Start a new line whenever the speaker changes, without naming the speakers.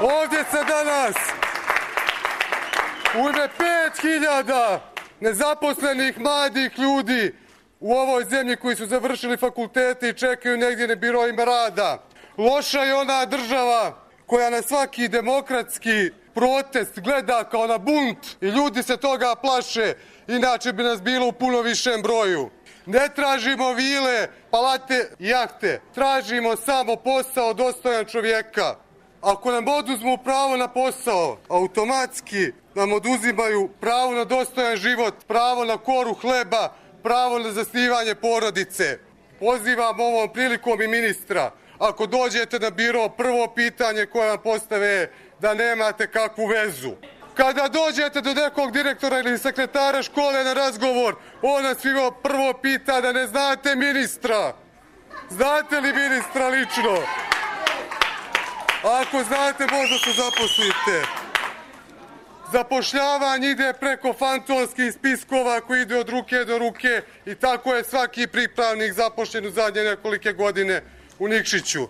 Ovdje se danas u ime 5000 nezaposlenih mladih ljudi u ovoj zemlji koji su završili fakultete i čekaju negdje na biroima rada. Loša je ona država koja na svaki demokratski protest gleda kao na bunt i ljudi se toga plaše, inače bi nas bilo u puno višem broju. Ne tražimo vile, palate i jahte, tražimo samo posao dostojan čovjeka. Ako nam oduzmu pravo na posao, automatski nam oduzimaju pravo na dostojan život, pravo na koru hleba, pravo na zasnivanje porodice. Pozivam ovom prilikom i ministra, ako dođete na biro, prvo pitanje koje vam postave je da nemate kakvu vezu. Kada dođete do nekog direktora ili sekretara škole na razgovor, on nas prvo pita da ne znate ministra. Znate li ministra lično? Ako znate, možda se zaposlite. Zapošljavanje ide preko fantomskih spiskova koji ide od ruke do ruke i tako je svaki pripravnik zapošljen u zadnje nekolike godine u Nikšiću.